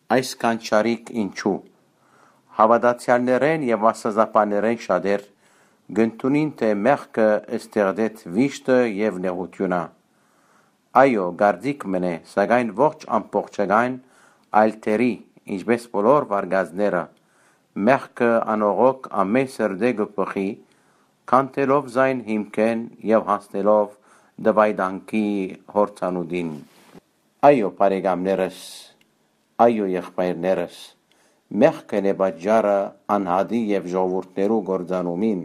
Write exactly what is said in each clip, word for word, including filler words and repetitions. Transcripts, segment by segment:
Այս կանչարիք ինչու։ Հաւատացեալներէն եւ աստուածաբաններէն շատեր կ'ընդունին թէ մեղքը ստեղծեց վիշտը եւ նեղութիւնը։ Այո, կարծիք մըն է, սակայն ոչ ամբողջական, այլ թերի, ինչպէս բոլոր վարկածները, մեղքը անողոք ամէն սրտէ կը բխի, քանդելով զայն հիմքէն եւ հասնելով դվայտանքի յորձանուտին։ Այո, բարեկամներս, այո, եղբայրներս, մեղքն է պատճառը անհատի եւ ժողովուրդներու կործանումին,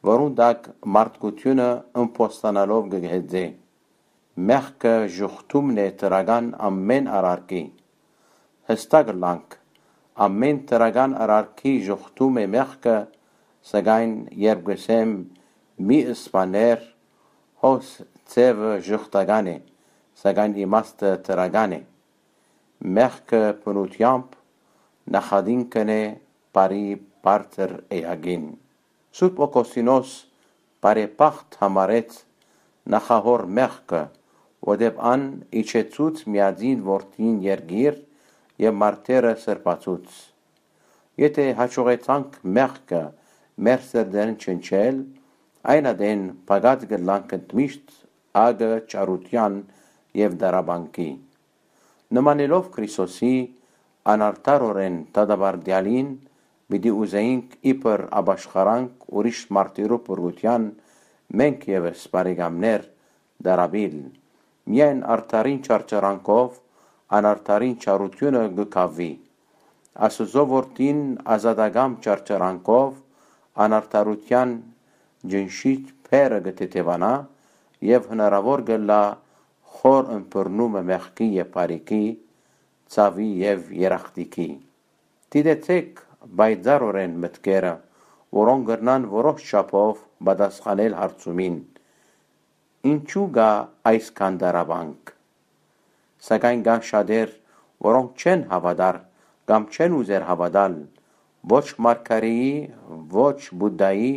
որուն տակ մարդկութիւնը ըմբոստանալով կը հեծէ։ Մեղքը ժուխտումն է դրական ամէն արարքի։ Յստակ ըլլանք, ամէն դրական արարքի ժուխտում է մեղքը, սակայն երբ կ'ըսեմ՝ «Մի սպանէր», հոս ձեւը ժխտական է, սակայն իմաստը դրական է։ Մեղքը բնութեամբ նախատինքն է բարի բարձր էակին։ Սուրբ Օգոստինոս բարեբախտ համարեց նախահոր մեղքը, որտեւ ան իջեցուց միածին որդին երկիր եւ մարդերը սրբացուց։ Եթէ հաջողեցանք մեղքը մեր սրտերէն չնչել, այն ատեն փակած կ'ըլլանք ընդմիշտ ակը չարութեան եւ տառապանքի։ Նմանելով Քրիստոսի, անարդարօրէն դատապարտեալին պիտի ուզէինք իբր ապաշխարանք ուրիշ մարդերու բռնութեան մենք եւս, բարեկամներ, տառապիլ։ Միայն արդարին չարչարանքով անարդարին չարութիւնը կը կաւի։ Աստուծոյ որդին ազատական չարչարանքով անարդարութեան ջնշիչ բեռը կը թեթեւանայ եւ հնարաւոր կ'ըլլայ խոր ըմբռնումը մեղքի եւ բարիքի, ցաւի եւ երախտիքի։ Դիտեցէք պայծառօրէն մտքերը, որոնք կրնան որոշ չափով պատասխանել հարցումին. ինչու կայ այսքան տառապանք։ Սակայն կան շատեր, որոնք չեն հաւատար կամ չեն ուզեր հաւատալ ոչ մարգարէի, ոչ Բուդդայի,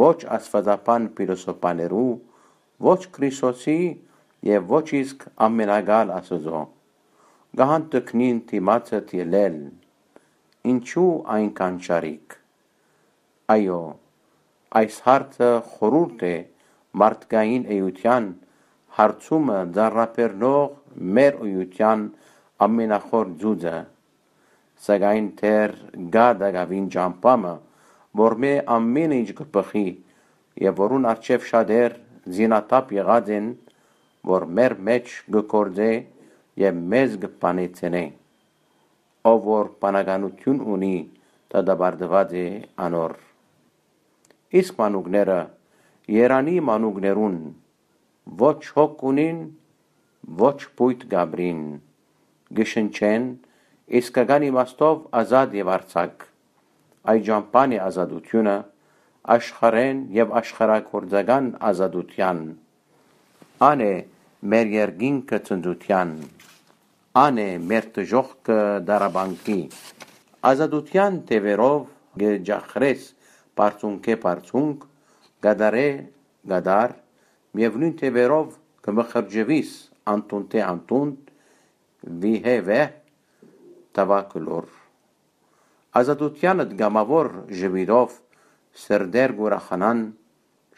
ոչ աստուածաբան փիլիսոփաներու, ոչ Քրիստոսի եւ ոչ իսկ ամենակալ Աստուծոյ։ Կը հանդգնին դիմացդ ելլել։ Ինչու այնքան շարիկ։ Այո, այս հարցը խորհուրդ է մարդկային էութեան հարցումը ծանրաբեռնող մեր էութեան ամենախոր ծուծը, սակայն դեռ կայ տակաւին ճամբայ մը, որ մէ ամէն ինչ կը բխի եւ որուն առջեւ շատեր զինաթափ եղած են, որ մեր մէջ կը գործէ եւ մեզ կը բանեցնէ։ Ով որ բանականութիւն ունի, դատապարտուած է անոր։ Իսկ մանուկները, երանի մանուկներուն, ոչ հոգ ունին, ոչ փոյթ կ'ապրին, կը շնչեն, իսկական իմաստով ազատ եւ արձակ։ Այդ ճամբան է ազատութիւնը, աշխարհէն եւ աշխարհագործական ազատութեան։ Ան է մեր երկինքը ցնծութեան, ան է մեր դժոխքը դարաբանքի։ Ազատութեան թեւերով կը ջախրես բարձունքէ բարձունք, կատարէ կատար, միեւնոյն թեւերով կը մխրճուիս անդունդէ անդունդ, վիհէ վեհ, թավա կլոր։ Ազատութեանդ կամաւոր ժպիտով սրտեր կ'ուրախանան,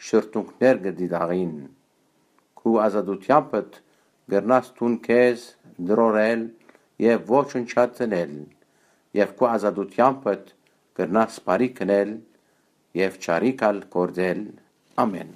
շրթունքներ կը դիտաղին։ Քու ազատութեամբդ կրնաս դուն քեզ տրորել եւ ոչնչացնել, եւ քու ազատութեամբդ կրնաս բարի գնել եւ չարիք ալ գործել։ Ամէն։